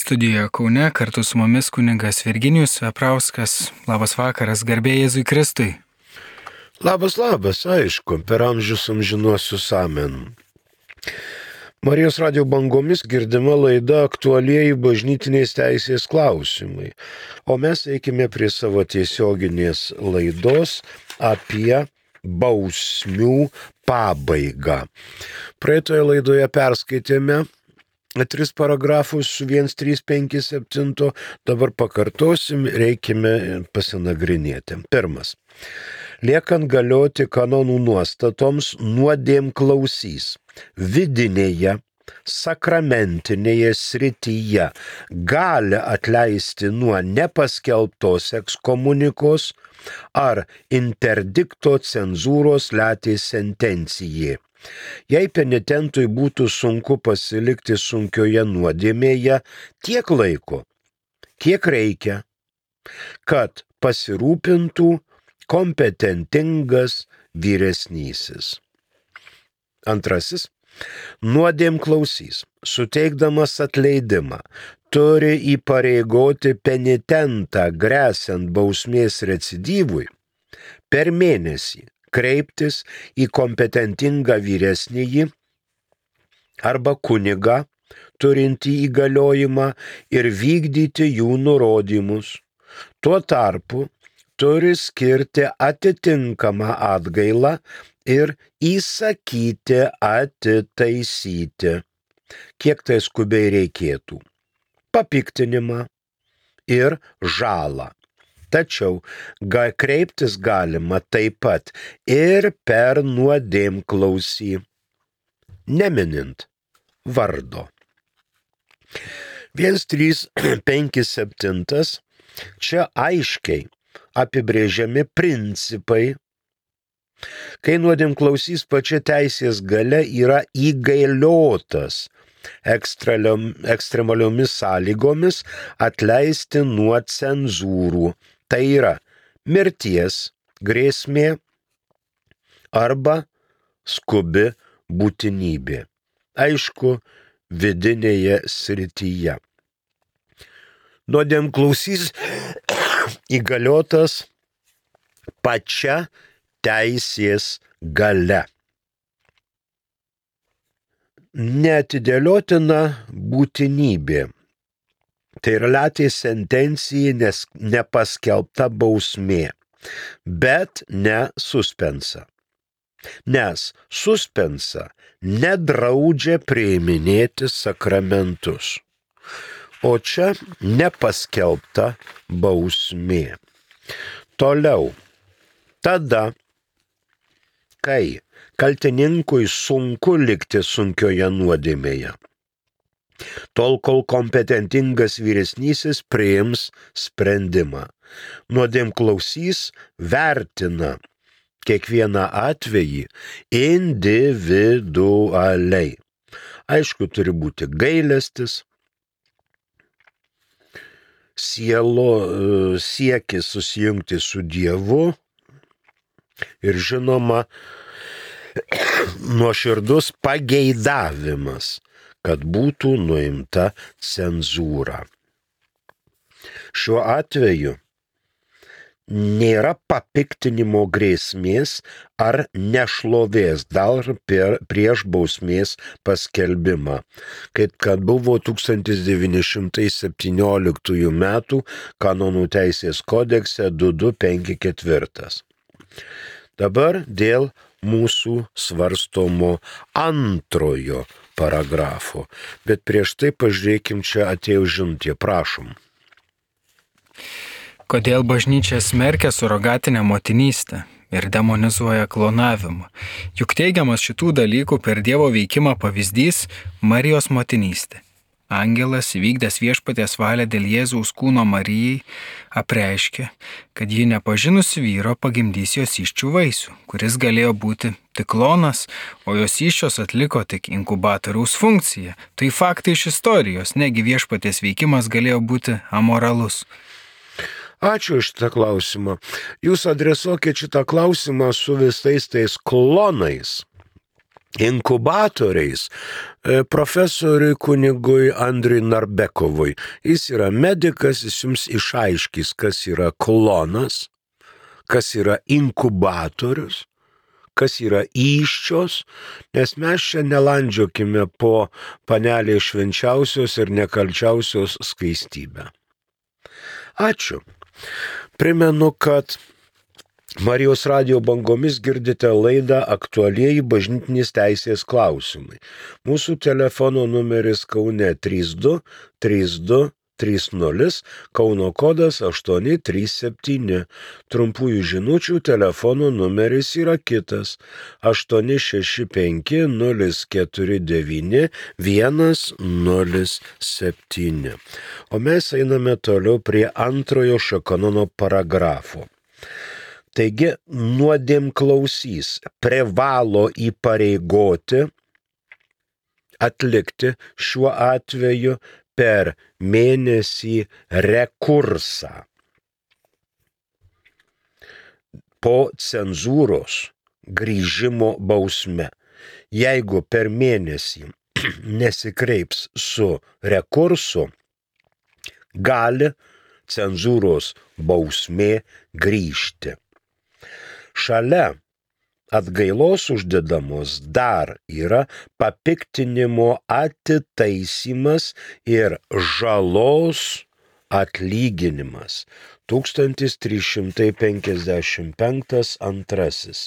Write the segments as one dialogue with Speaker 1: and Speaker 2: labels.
Speaker 1: Studijoje Kaune kartu su mumis kunigas Virginijus Veprauskas. Labas vakaras, garbė Jėzui Kristui.
Speaker 2: Labas, aišku, per amžius amžinuosius amen. Marijos radio bangomis girdima laida aktualieji bažnytinės teisės klausimai, o mes eikime prie savo tiesioginės laidos apie bausmių pabaigą. Praeitoje laidoje perskaitėme 3 paragrafus su 1.3.5.7, dabar pakartosim, reikime pasinagrinėti. 1. Liekant galioti kanonų nuostatoms, nuodėmklausys vidinėje, sakramentinėje srityje gali atleisti nuo nepaskelbtos ekskomunikos ar interdikto cenzūros letės sentencijai. Jei penitentui būtų sunku pasilikti sunkioje nuodėmėje tiek laiko, kiek reikia, kad pasirūpintų kompetentingas vyresnysis. 2. Nuodėmklausys, suteikdamas atleidimą, turi įpareigoti penitentą gresiant bausmės recidyvui per mėnesį kreiptis į kompetentingą vyresnįjį arba kunigą, turintį įgaliojimą ir vykdyti jų nurodymus. Tuo tarpu turi skirti atitinkamą atgailą ir įsakyti atitaisyti, kiek tai skubiai reikėtų, papiktinimą ir žalą. Tačiau kreiptis galima taip pat ir per nuodėmklausį, neminint vardo. 1.3.5.7. Čia aiškiai apibrėžiami principai, kai nuodėmklausys pačia teisės galia yra įgaliotas ekstremaliomis sąlygomis atleisti nuo cenzūrų. Tai yra mirties grėsmė arba skubi būtinybė. Aišku, vidinėje srityje. Nuodėmklausys įgaliotas pačia teisės galia. Neatidėliotina būtinybė. Tai yra letės sentencija, nes nepaskelbta bausmė, bet ne suspensa. Nes suspensa nedraudžia priiminėti sakramentus. O čia nepaskelbta bausmė. Toliau. Tada, kai kaltininkui sunku likti sunkioje nuodėmėje, tol kol kompetentingas vyresnysis priims sprendimą. Nuodėmklausys vertina kiekvieną atvejį individualiai. Aišku, turi būti gailestis, siekis susijungti su Dievu ir žinoma nuoširdus pageidavimas, kad būtų nuimta cenzūra. Šiuo atveju nėra papiktinimo grėsmės ar nešlovės dar prieš bausmės paskelbimą, kaip kad buvo 1917 metų kanonų teisės kodekse 2254. Dabar dėl mūsų svarstomo 2 paragrafo, bet prieš tai pažiūrėkim, čia atėjo žinutė, prašom.
Speaker 1: Kodėl bažnyčia smerkia surogatinę motinystę ir demonizuoja klonavimą? Juk teigiamas šitų dalykų per Dievo veikimą pavyzdys Marijos motinystė. Angelas, įvykdęs viešpaties valią dėl Jėzaus kūno Marijai, apreiškė, kad ji nepažinusi vyro pagimdys jos įsčių vaisių, kuris galėjo būti tik klonas, o jos įsčios atliko tik inkubatoriaus funkciją. Tai faktai iš istorijos, negi viešpaties veikimas galėjo būti amoralus.
Speaker 2: Ačiū iš šitą klausimą. Jūs adresuokit šitą klausimą su visais tais klonais, inkubatoriais profesoriui kunigui Andriui Narbekovui. Jis yra medikas, jis jums išaiškys, kas yra klonas, kas yra inkubatorius, kas yra įsčios, nes mes čia nelandžiokime po panelės švenčiausios ir nekalčiausios skaistybę. Ačiū. Primenu, kad Marijos radijo bangomis girdite laidą Aktualieji bažnytinės teisės klausimai. Mūsų telefono numeris Kaune 32 32 30, Kauno kodas 837. Trumpųjų žinučių telefono numeris yra kitas 865 049 107. O mes einame toliau prie antrojo šio kanono paragrafo. Taigi, nuodėmklausys privalo įpareigoti atlikti šiuo atveju per mėnesį rekursą po cenzūros grįžimo bausme. Jeigu per mėnesį nesikreips su rekursu, gali cenzūros bausmė grįžti. Šalia atgailos uždedamos dar yra papiktinimo atitaisymas ir žalos atlyginimas. 1355 antrasis.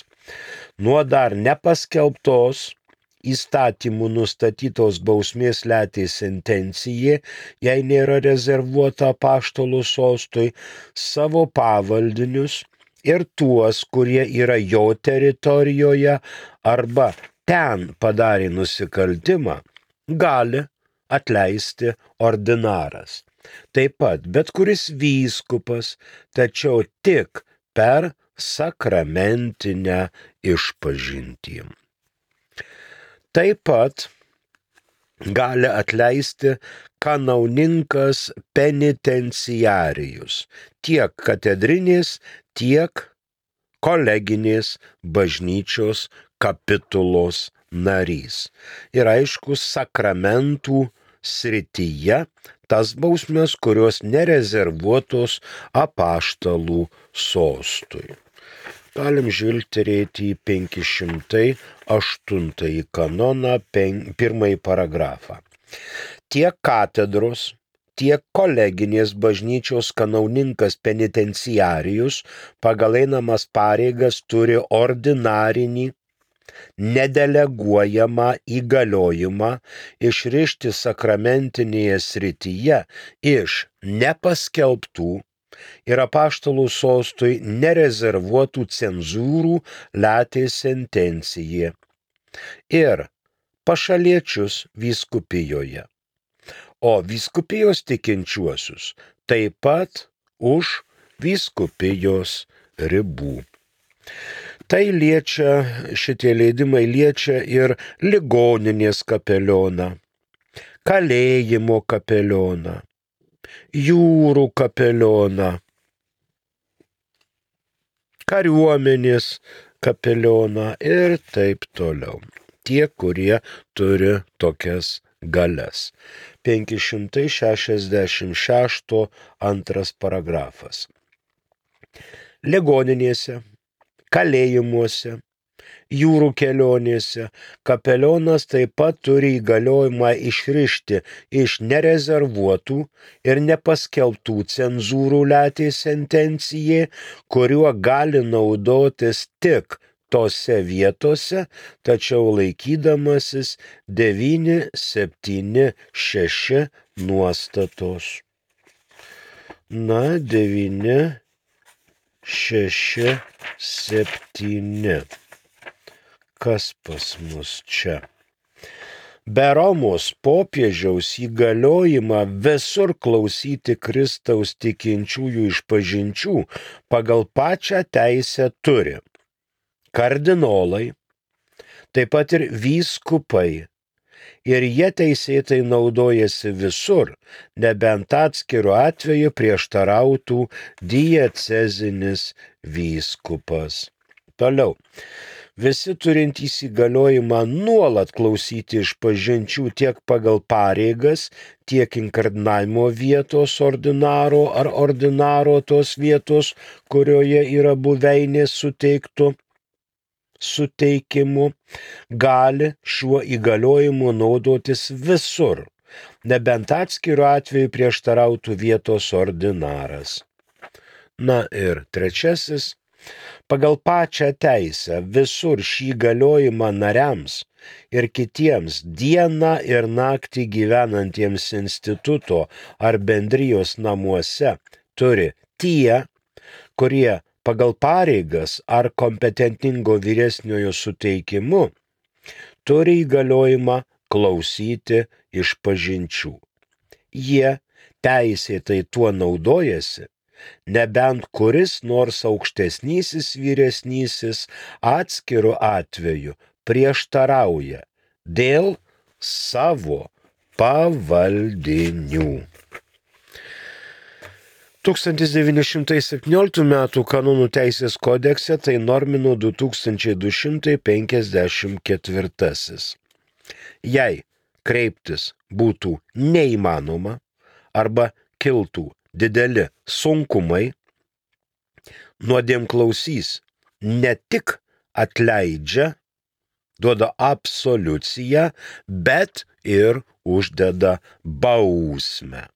Speaker 2: Nuo dar nepaskelbtos įstatymų nustatytos bausmės letė sentencija, jei nėra rezervuota apaštalų sostui, savo pavaldinius ir tuos, kurie yra jo teritorijoje arba ten padarė nusikaltimą, gali atleisti ordinaras. Taip pat bet kuris vyskupas, tačiau tik per sakramentinę išpažintį. Taip pat gali atleisti kanauninkas penitenciarijus, tiek katedrinės, tiek koleginės bažnyčios kapitulos narys. Ir aišku, sakramentų srityje tas bausmes, kurios nerezervuotos apaštalų sostui. Galim žvilgterėti į 508 kanoną, pirmąjį paragrafą. Tiek katedros, tiek koleginės bažnyčios kanauninkas penitenciarijus pagal einamas pareigas turi ordinarinį, nedeleguojamą įgaliojimą išrišti sakramentinėje srityje iš nepaskelbtų ir apaštalų sostui nerezervuotų cenzūrų letė sentencija ir pašaliečius vyskupijoje, o vyskupijos tikinčiuosius taip pat už vyskupijos ribų. Tai liečia, šitie leidimai liečia ir ligoninės kapelioną, kalėjimo kapelioną, jūrų kapelioną, kariuomenės kapelioną ir taip toliau. Tie, kurie turi tokias galias. 566 antras paragrafas. Ligoninėse, kalėjimuose, jūrų kelionėse kapelionas taip pat turi įgaliojimą išrišti iš nerezervuotų ir nepaskelbtų cenzūrų letė sentencijai, kuriuo gali naudotis tik tose vietose, tačiau laikydamasis 976 nuostatos. 967. Kas pas mus čia? Be Romos popiežiaus įgaliojimą visur klausyti Kristaus tikinčiųjų išpažinčių pagal pačią teisę turi kardinolai, taip pat ir vyskupai, ir jie teisėtai naudojasi visur, nebent atskiru atveju prieštarautų diecezinis vyskupas. Toliau. visi turintys įgaliojimą nuolat klausyti išpažinčių tiek pagal pareigas, tiek inkardinavimo vietos ordinaro ar ordinaro tos vietos, kurioje yra buveinė suteikimu, gali šiuo įgaliojimu naudotis visur, nebent atskiru atveju prieštarautų vietos ordinaras. Na ir trečiasis. Pagal pačią teisę visur šį galiojimą nariams ir kitiems dieną ir naktį gyvenantiems instituto ar bendrijos namuose turi tie, kurie pagal pareigas ar kompetentingo vyresniojo suteikimu turi įgaliojimą klausyti išpažinčių. Jie teisėtai tuo naudojasi, nebent kuris nors aukštesnysis vyresnysis atskiru atveju prieštarauja dėl savo pavaldinių. 1917 m. kanonų teisės kodekse tai normino 2254. Jei kreiptis būtų neįmanoma arba kiltų dideli sunkumai, nuodėmklausys ne tik atleidžia, duoda absoliuciją, bet ir uždeda bausmę.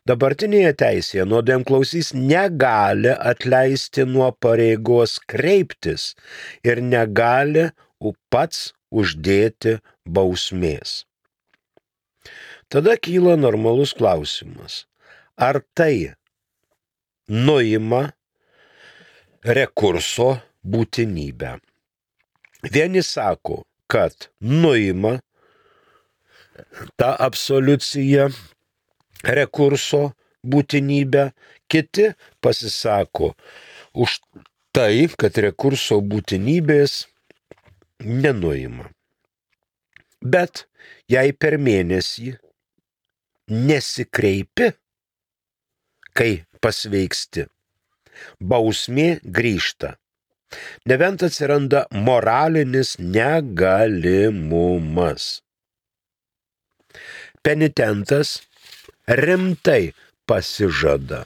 Speaker 2: Dabartinėje teisėje nuodėmklausys negali atleisti nuo pareigos kreiptis ir negali pats uždėti bausmės. Tada kyla normalus klausimas. Ar tai nuima rekurso būtinybę? Vieni sako, kad nuima tą absoliuciją rekurso būtinybę, kiti pasisako už tai, kad rekurso būtinybės nenuima. Bet jei per mėnesį nesikreipi, kai pasveiksti, bausmė grįžta, nebent atsiranda moralinis negalimumas. Penitentas rimtai pasižada,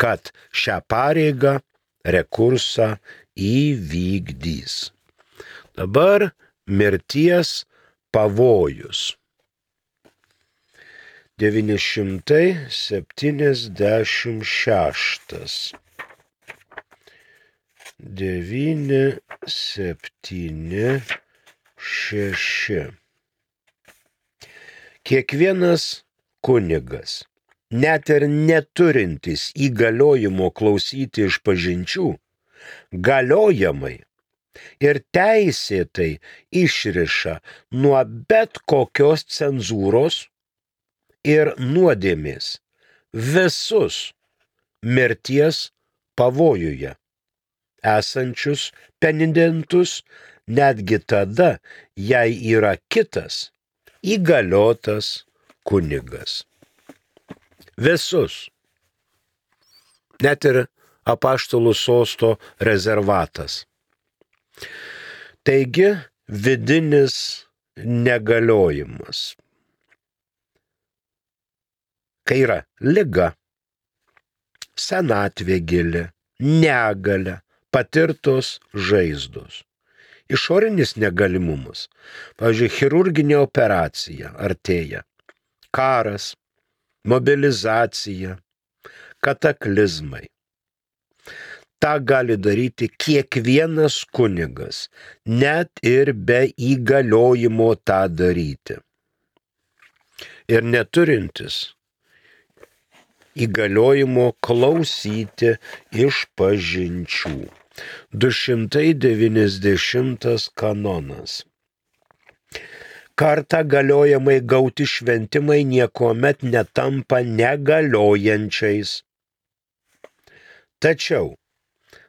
Speaker 2: kad šią pareigą rekursą įvykdys. Dabar mirties pavojus. 976. 976. Kiekvienas kunigas, net ir neturintis įgaliojimo klausyti išpažinčių, galiojamai ir teisėtai išriša nuo bet kokios cenzūros ir nuodėmės visus mirties pavojuje esančius penitentus, netgi tada, jei yra kitas įgaliotas kunigas. Visus. Net ir apaštalų sosto rezervatas. Taigi, vidinis negaliojimas. Kai yra liga, senatvė gili, negalia, patirtos žaizdos. Išorinis negalimumas. Pavyzdžiui, chirurginė operacija artėja. Karas, mobilizacija, kataklizmai. Ta gali daryti kiekvienas kunigas, net ir be įgaliojimo tą daryti. Ir neturintis įgaliojimo klausyti išpažinčių. 290 kanonas. Kartą galiojamai gauti šventimai niekuomet netampa negaliojančiais. Tačiau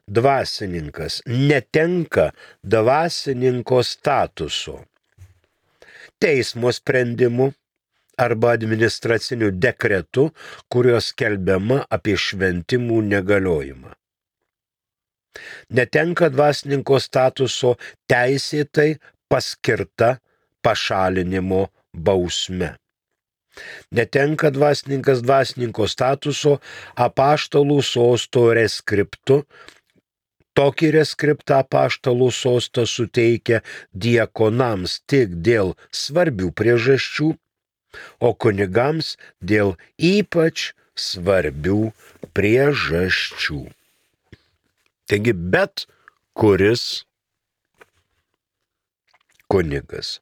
Speaker 2: dvasininkas netenka dvasininko statuso teismo sprendimu arba administraciniu dekretu, kuriuo skelbiama apie šventimų negaliojimą. Netenka dvasininko statuso teisėtai paskirta pašalinimo bausme. Netenka dvasininkas dvasininko statuso apaštalų sosto reskriptu. Tokį reskriptą apaštalų sostas suteikia diakonams tik dėl svarbių priežasčių, o kunigams dėl ypač svarbių priežasčių. Taigi bet kuris kunigas,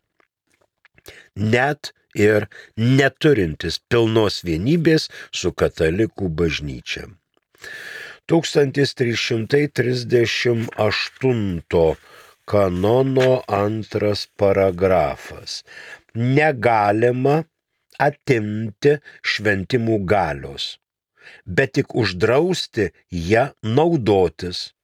Speaker 2: net ir neturintis pilnos vienybės su katalikų bažnyčia. 1338 kanono 2 paragrafas. Negalima atimti šventimų galios, bet tik uždrausti ją naudotis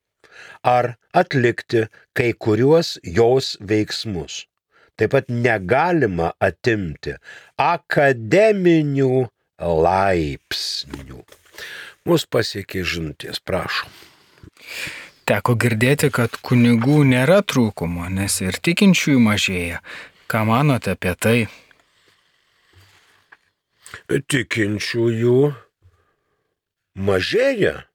Speaker 2: ar atlikti kai kuriuos jos veiksmus. Taip pat negalima atimti akademinių laipsnių. Mus pasiekė žinutės, prašom.
Speaker 1: Teko girdėti, kad kunigų nėra trūkumo, nes ir tikinčiųjų mažėja. Ką manote apie tai?
Speaker 2: Tikinčiųjų mažėja,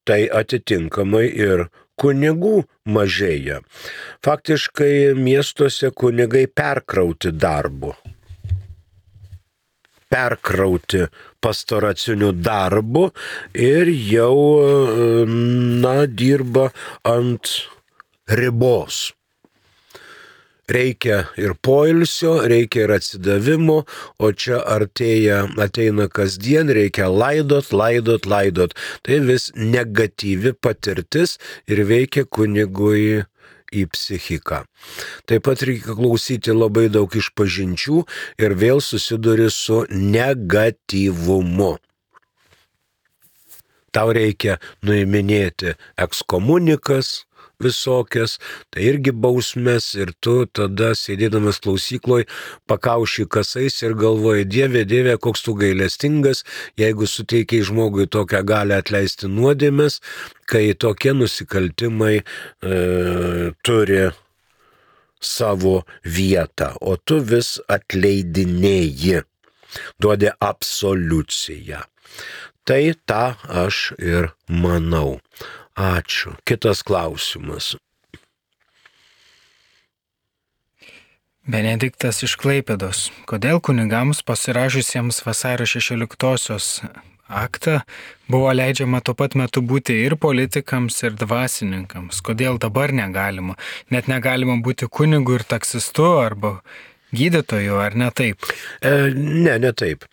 Speaker 2: tai atitinkamai ir kunigų mažėja. Faktiškai miestuose kunigai perkrauti darbu. Perkrauti pastoraciniu darbu ir jau, dirba ant ribos. Reikia ir poilsio, reikia ir atsidavimo, o čia ateina kasdien, reikia laidot. Tai vis negatyvi patirtis ir veikia kunigui į psichiką. Taip pat reikia klausyti labai daug išpažinčių ir vėl susiduri su negatyvumu. Tau reikia nuiminėti ekskomunikas visokias, tai irgi bausmės ir tu tada sėdėdamas klausykloj pakauši kasais ir galvoji, Dieve, koks tu gailestingas, jeigu suteikiai žmogui tokią galią atleisti nuodėmes, kai tokie nusikaltimai turi savo vietą, o tu vis atleidinėji, duodi absoliuciją. Tai tą aš ir manau. Ačiū. Kitas klausimas.
Speaker 1: Benediktas iš Klaipėdos. Kodėl kunigams pasirašiusiems vasario 16-osios aktą buvo leidžiama tuo pat metu būti ir politikams, ir dvasininkams? Kodėl dabar negalima? Net negalima būti kunigu ir taksistu arba gydytoju, ar ne taip?
Speaker 2: Ne taip.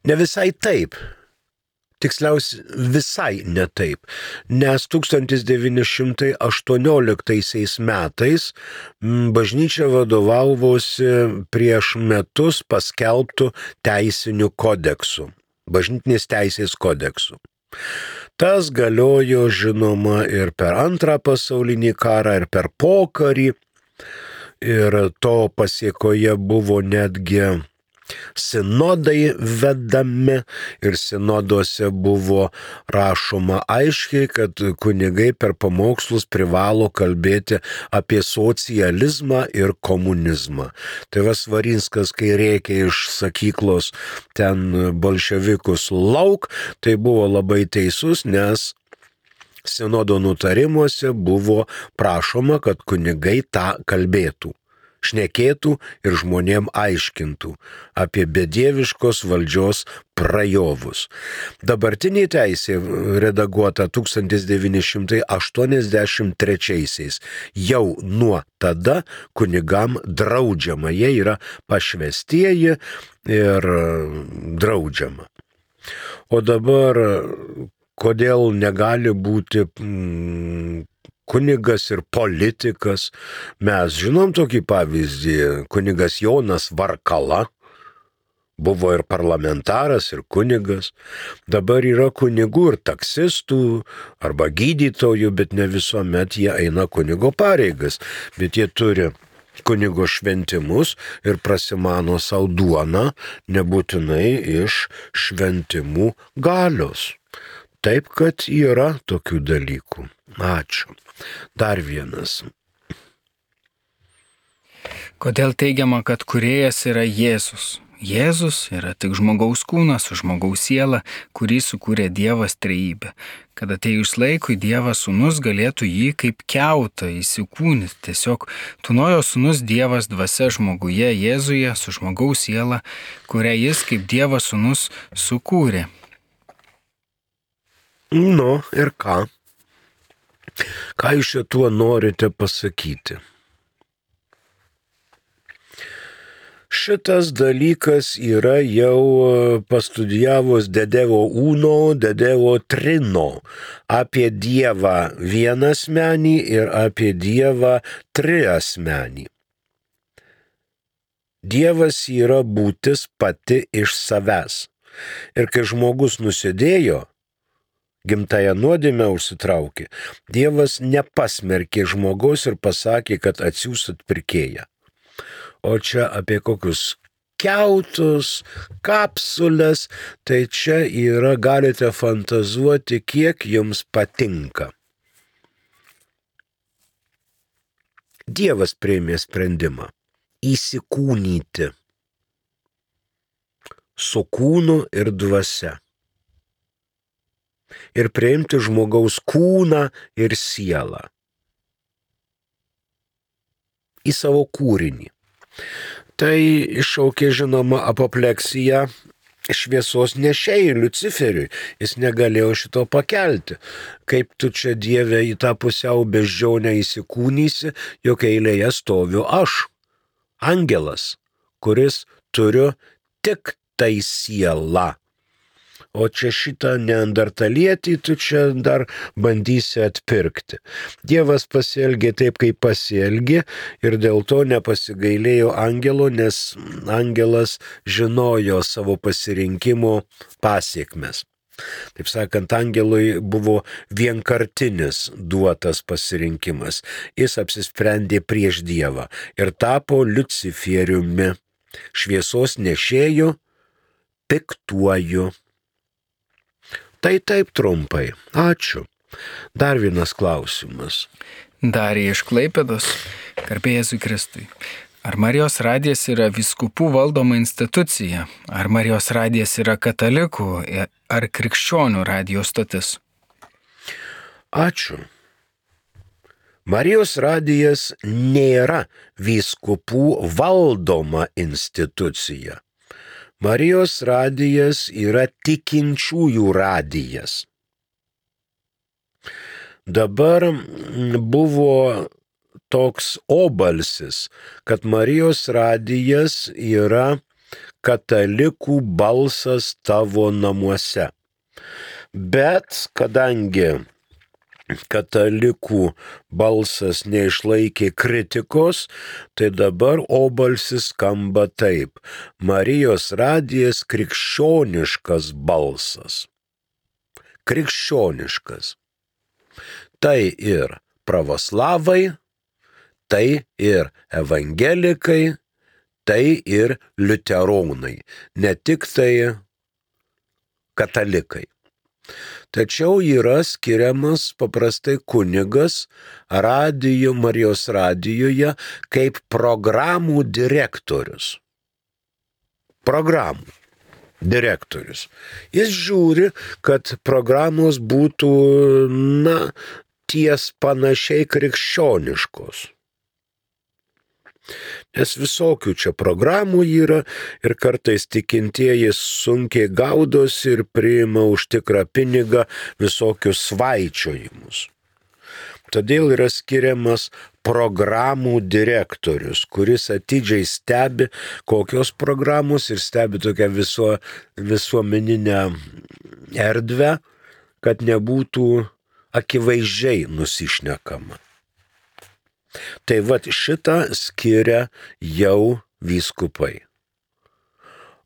Speaker 2: Ne visai taip. Tiksliausiai visai ne taip, nes 1918 metais bažnyčia vadovavosi prieš metus paskelbtų teisinių kodeksų, bažnytinės teisės kodeksų. Tas galiojo, žinoma, ir per Antrą pasaulinį karą, ir per pokarį, ir to pasiekoje buvo netgi sinodai vedami ir sinoduose buvo rašoma aiškiai, kad kunigai per pamokslus privalo kalbėti apie socializmą ir komunizmą. Tai Svarinskas, kai rėkė iš sakyklos ten bolševikus lauk, tai buvo labai teisus, nes sinodo nutarimuose buvo prašoma, kad kunigai tą kalbėtų. Šnekėtų ir žmonėm aiškintų apie bedieviškos valdžios prajovus. Dabartinė teisė redaguota 1983 jau nuo tada kunigam draudžiama. Jie yra pašvestieji ir draudžiama. O dabar kodėl negali būti kunigas ir politikas? Mes žinom tokį pavyzdį, kunigas Jonas Varkala buvo ir parlamentaras, ir kunigas. Dabar yra kunigų ir taksistų arba gydytojų, bet ne visuomet jie eina kunigo pareigas, bet jie turi kunigo šventimus ir prasimano savo duoną, nebūtinai iš šventimų galios. Taip, kad yra tokių dalykų. Ačiū. Dar vienas.
Speaker 1: Kodėl teigiama, kad kūrėjas yra Jėzus? Jėzus yra tik žmogaus kūnas su žmogaus siela, kurį sukūrė Dievas trejybė. Kad atėjus laikui Dievas sūnus galėtų jį kaip kiautą įsikūnyti. Tiesiog tūnojo sūnus Dievas dvasia žmoguje Jėzuje su žmogaus siela, kurią jis kaip Dievas sūnus sukūrė.
Speaker 2: Nu ir ką? Ką jūs šituo norite pasakyti? Šitas dalykas yra jau pastudijavus Dedevo Uno, Dedevo Trino apie Dievą vienasmenį ir apie Dievą triasmenį. Dievas yra būtis pati iš savęs. Ir kai žmogus nusidėjo, gimtąją nuodėmę užsitraukė, Dievas nepasmerkė žmogaus ir pasakė, kad atsiųs atpirkėją. O čia apie kokius kiautus, kapsulės, tai čia yra, galite fantazuoti, kiek jums patinka. Dievas priėmė sprendimą įsikūnyti su kūnu ir dvasia. Ir priimti žmogaus kūną ir sielą į savo kūrinį. Tai iššaukė, žinoma, apopleksiją šviesos nešėjui Liuciferiui. Jis negalėjo šito pakelti. Kaip tu čia, Dieve, į tą pusiau beždžionę įsikūnysi, jog eilėje stoviu aš, angelas, kuris turiu tik tai sielą. O čia šitą neandertalietį tu čia dar bandysi atpirkti. Dievas pasielgė taip, kaip pasielgė ir dėl to nepasigailėjo angelo, nes angelas žinojo savo pasirinkimo pasiekmes. Taip sakant, angelui buvo vienkartinis duotas pasirinkimas. Jis apsisprendė prieš Dievą ir tapo Liuciferiumi, šviesos nešėju, piktuoju. Tai taip trumpai. Ačiū. Dar vienas klausimas.
Speaker 1: Darija iš Klaipėdos. Garbė Jėzui Kristui. Ar Marijos radijas yra vyskupų valdoma institucija? Ar Marijos radijas yra katalikų ar krikščionių radijo stotis?
Speaker 2: Ačiū. Marijos radijas nėra vyskupų valdoma institucija. Marijos radijas yra tikinčiųjų radijas. Dabar buvo toks obalsis, kad Marijos radijas yra katalikų balsas tavo namuose. Bet kadangi katalikų balsas neišlaikė kritikos, tai dabar obalsis skamba taip. Marijos radijas krikščioniškas balsas. Krikščioniškas. Tai ir pravoslavai, tai ir evangelikai, tai ir liuteronai. Ne tik tai katalikai. Tačiau yra skiriamas paprastai kunigas Marijos radijoje kaip programų direktorius. Programų direktorius. Jis žiūri, kad programos būtų, ties panašiai krikščioniškos. Nes visokių čia programų yra ir kartais tikintieji sunkiai gaudosi ir priima už tikrą pinigą visokius svaičiojimus. Todėl yra skiriamas programų direktorius, kuris atidžiai stebi, kokios programos ir stebi tokią visuomeninę erdvę, kad nebūtų akivaizdžiai nusišnekama. Tai vat šitą skiria jau vyskupai.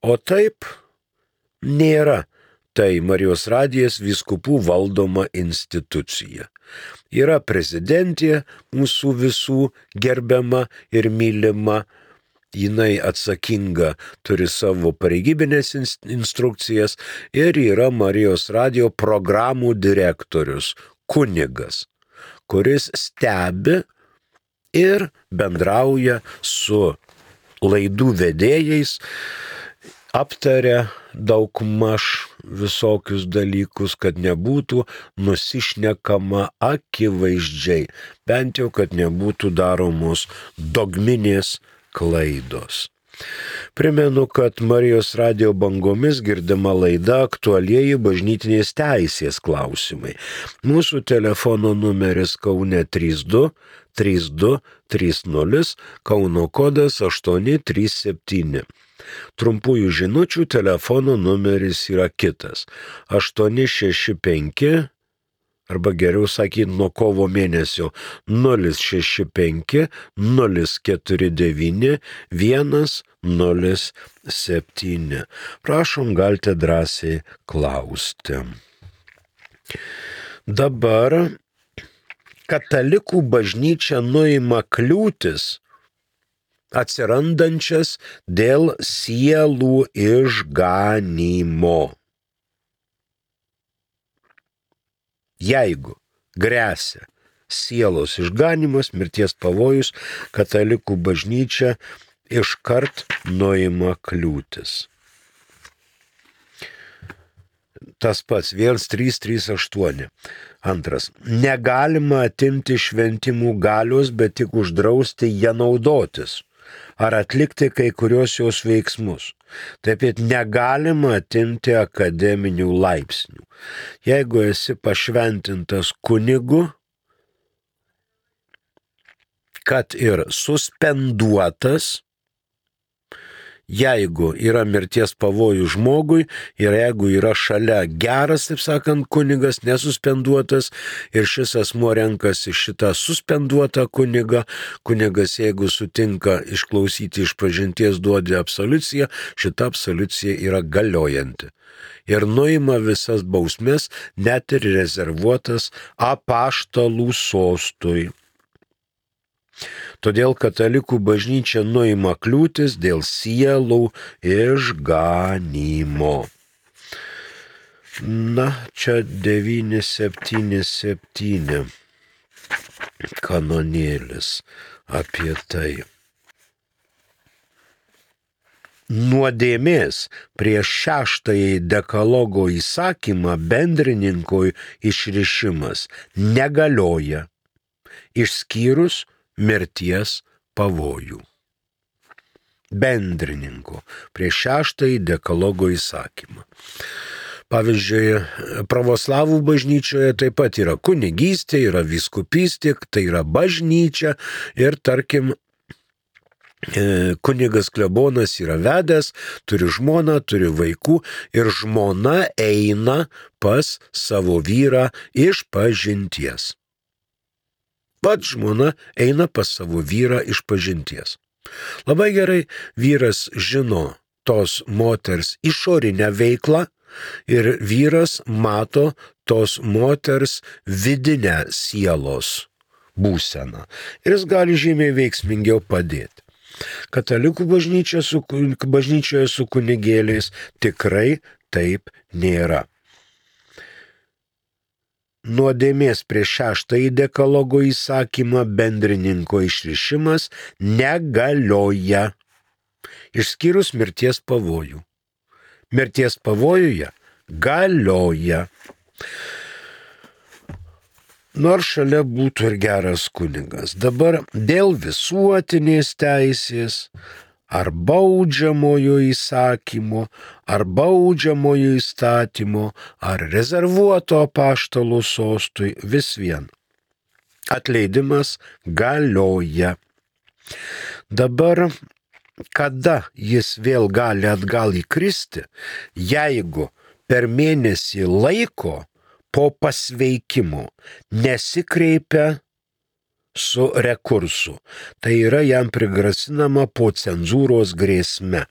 Speaker 2: O taip nėra. Tai Marijos radijas vyskupų valdoma institucija. Yra prezidentė mūsų visų gerbiama ir mylima jinai atsakinga, turi savo pareigybinės instrukcijas ir yra Marijos radijo programų direktorius, kunigas, kuris stebi ir bendrauja su laidų vedėjais, aptaria daugmaž visokius dalykus, kad nebūtų nusišnekama akivaizdžiai, bent jau, kad nebūtų daromos dogminės klaidos. Primenu, kad Marijos radijo bangomis girdima laida aktualieji bažnytinės teisės klausimai. Mūsų telefono numeris Kaune 32 32 30, Kauno kodas 837. Trumpųjų žinučių telefono numeris yra kitas 865, arba geriau sakyti nuo kovo mėnesio 065 049 107. Prašom, galite drąsiai klausti. Dabar katalikų bažnyčia nuima kliūtis atsirandančias dėl sielų išganymo. Jeigu gresia sielos išganimas, mirties pavojus, katalikų bažnyčia iškart nuima kliūtis. Tas pats 1338. Antras. Negalima atimti šventimų galios, bet tik uždrausti ją naudotis ar atlikti kai kurios jos veiksmus. Taip pat negalima atimti akademinių laipsnių. Jeigu esi pašventintas kunigu, kad ir suspenduotas, jeigu yra mirties pavojus žmogui ir jeigu yra šalia geras, taip sakant, kunigas, nesuspenduotas ir šis asmuo renkasi šitą suspenduotą kunigą, kunigas, jeigu sutinka išklausyti išpažinties, duodi absoliuciją, šita absoliucija yra galiojanti. Ir nuima visas bausmes, net ir rezervuotas apaštalų sostui. Todėl katalikų bažnyčia nuima kliūtis dėl sielų išganymo. Na, čia 977 kanonėlis apie tai. Nuodėmės prieš šeštąjį dekalogo įsakymą bendrininkui išrišimas negalioja, išskyrus mirties pavojų. Bendrininko prieš šeštąjį dekalogo įsakymą. Pavyzdžiui, pravoslavų bažnyčioje taip pat yra kunigystė, yra vyskupystė, tai yra bažnyčia ir tarkim, kunigas klebonas yra vedęs, turi žmoną, turi vaikų ir žmona eina pas savo vyrą išpažinties. Pats žmona eina pas savo vyrą išpažinties. Labai gerai vyras žino tos moters išorinę veiklą ir vyras mato tos moters vidinę sielos būseną. Ir jis gali žymiai veiksmingiau padėti. Katalikų bažnyčioje su kunigėliais tikrai taip nėra. Nuodėmės prieš šeštąjį dekalogo įsakymą bendrininko išrišimas negalioja, išskyrus mirties pavojų. Mirties pavojuje galioja. Nors šalia būtų ir geras kunigas. Dabar dėl visuotinės teisės ar baudžiamojo įsakymo, ar baudžiamojo įstatymo, ar rezervuoto apaštalų sostui vis vien. Atleidimas galioja. Dabar, kada jis vėl gali atgal įkristi, jeigu per mėnesį laiko po pasveikimo nesikreipia su rekursu. Tai yra jam prigrasinama po cenzūros grėsme.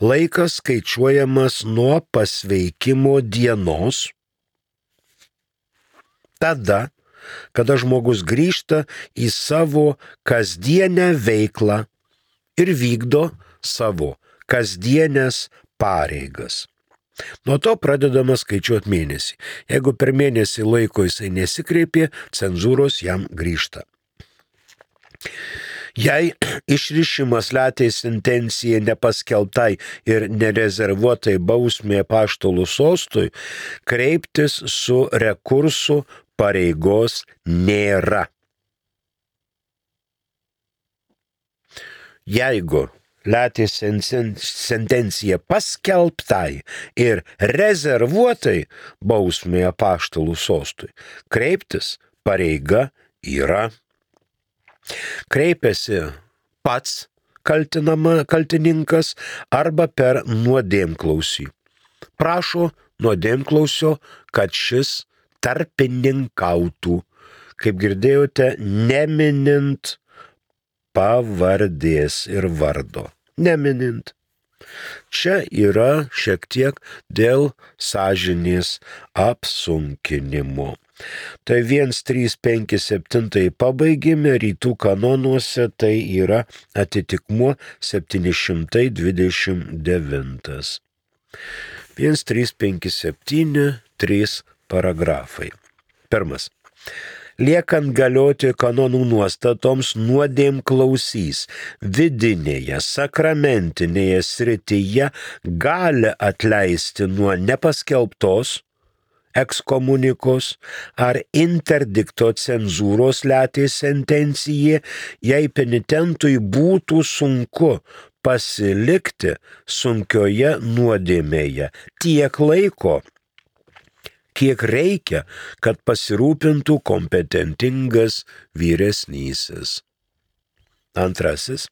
Speaker 2: Laikas skaičiuojamas nuo pasveikimo dienos, tada, kada žmogus grįžta į savo kasdienę veiklą ir vykdo savo kasdienės pareigas. Nuo to pradedama skaičiuoti mėnesį. Jeigu per mėnesį laiko jisai nesikreipė, cenzūros jam grįžta. Jei išrišimas leteis intencija nepaskelbtai ir nerezervuotai bausmė apaštalų sostui, kreiptis su rekursu pareigos nėra. Jeigu leteis sentencija paskelbtai ir rezervuotai bausmė apaštalų sostui, kreiptis pareiga yra. Kreipiasi pats kaltininkas arba per nuodėmklausį. Prašo nuodėmklausio, kad šis tarpininkautų, kaip girdėjote, neminint pavardės ir vardo. Neminint. Čia yra šiek tiek dėl sąžinės apsunkinimo. Tai 1357 pabaigime, rytų kanonuose tai yra atitikmuo 729. 1357, 3 paragrafai. Pirmas. Liekant galioti kanonų nuostatoms, nuodėmklausys vidinėje, sakramentinėje srityje gali atleisti nuo nepaskelbtos, ekskomunikos ar interdikto cenzūros leteis sentencijai, jei penitentui būtų sunku pasilikti sunkioje nuodėmėje tiek laiko, kiek reikia, kad pasirūpintų kompetentingas vyresnysis. Antrasis.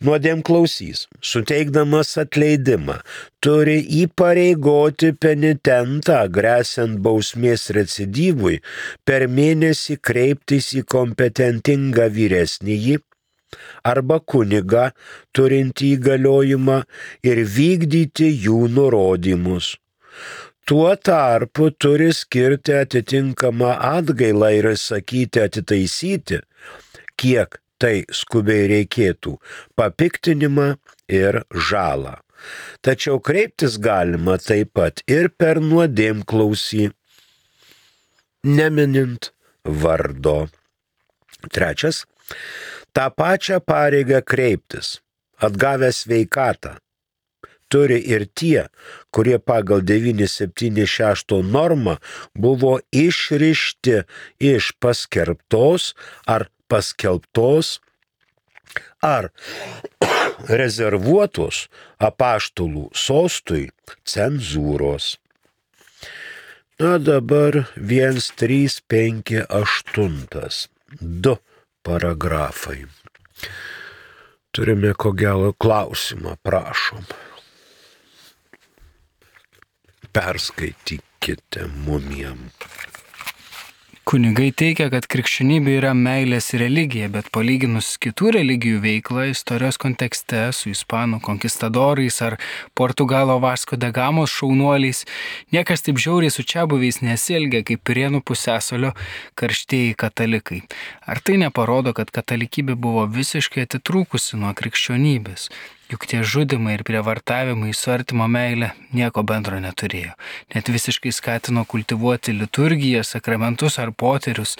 Speaker 2: Nuodėmklausys, suteikdamas atleidimą, turi įpareigoti penitentą, gresiant bausmės recidyvui, per mėnesį kreiptis į kompetentingą vyresnįjį arba kunigą, turintį įgaliojimą ir vykdyti jų nurodymus. Tuo tarpu turi skirti atitinkamą atgailą ir sakyti atitaisyti, kiek tai skubiai reikėtų, papiktinimą ir žalą. Tačiau kreiptis galima taip pat ir per nuodėmklausį, neminint vardo. Trečias. tą pačią pareigą kreiptis, atgavę sveikatą, turi ir tie, kurie pagal 976 normą buvo išrišti iš paskelbtos ar paskelbtos ar rezervuotos apaštalų sostui cenzūros. Na dabar 1358, 2 paragrafai. Turime ko gero klausimą, prašom. Perskaitykite mumiem.
Speaker 1: Kunigai teigia, kad krikščionybė yra meilės religija, bet palyginus kitų religijų veiklą istorijos kontekste su ispanų konkistadorais ar Portugalo Vasko de Gamos šaunuoliais, niekas taip žiauriai su čiabuviais nesielgia kaip Pirėnų pusiasalio karštieji katalikai. Ar tai neparodo, kad katalikybė buvo visiškai atitrūkusi nuo krikščionybės? Juk tie žudimai ir prievartavimai su artimo meile nieko bendro neturėjo. Net visiškai skatino kultivuoti liturgiją, sakramentus ar poterius.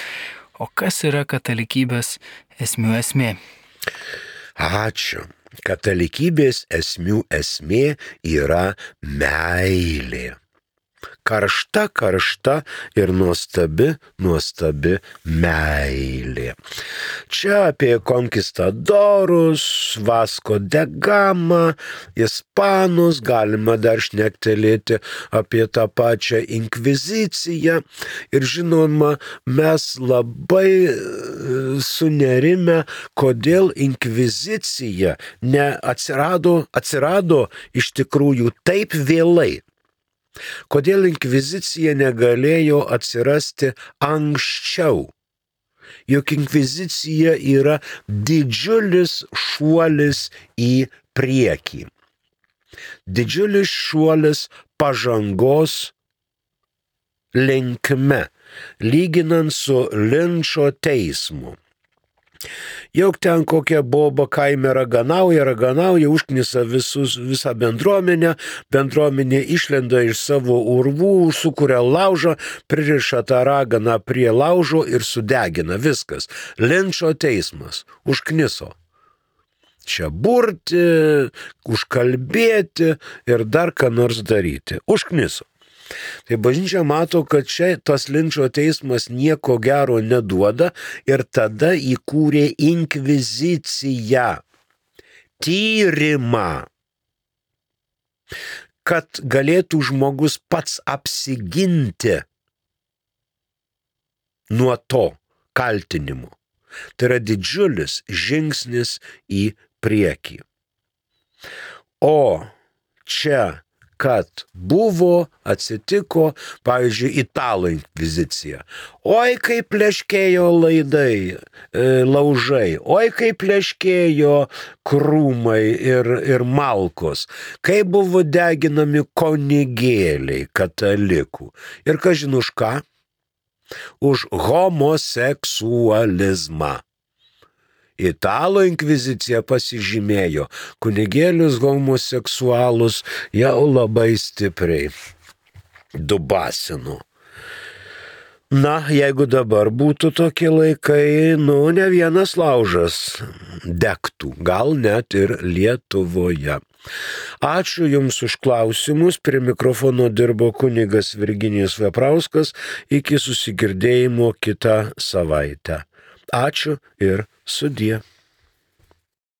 Speaker 1: O kas yra katalikybės esmių esmė?
Speaker 2: Ačiū. Katalikybės esmių esmė yra meilė. Karšta ir nuostabi meilė. Čia apie konkistadorus, Vasko de Gamą, ispanus, galima dar šnektelėti apie tą pačią inkviziciją. Ir žinoma, mes labai sunerime, kodėl inkvizicija atsirado iš tikrųjų taip vėlai. Kodėl inkvizicija negalėjo atsirasti anksčiau? Juk inkvizicija yra didžiulis šuolis į priekį. Didžiulis šuolis pažangos linkme, lyginant su Linčo teismu. Juk ten kokia boba kaime raganauja, užknisa visą bendruomenė išlenda iš savo urvų, sukuria laužą, pririša tą raganą prie laužo ir sudegina viskas. Linčo teismas užkniso. Čia burti, užkalbėti ir dar ką nors daryti. Užkniso. Tai bažnyčia mato, kad čia tas linčo teismas nieko gero neduoda ir tada įkūrė inkviziciją, tyrimą, kad galėtų žmogus pats apsiginti nuo to kaltinimo. Tai yra didžiulis žingsnis į priekį. O čia kad atsitiko, pavyzdžiui, italų inkvizicija. Oi, kaip pleškėjo laužai, oi, kaip pleškėjo krūmai ir malkos, kaip buvo deginami kunigėliai katalikų. Ir kažin už ką? Už homoseksualizmą. Italų inkvizicija pasižymėjo kunigėlius homoseksualus jau labai stipriai dubasino. Na, jeigu dabar būtų tokie laikai, ne vienas laužas degtų, gal net ir Lietuvoje. Ačiū Jums už klausimus, prie mikrofono dirbo kunigas Virginijus Veprauskas, iki susigirdėjimo kitą savaitę. Ačiū ir sudie.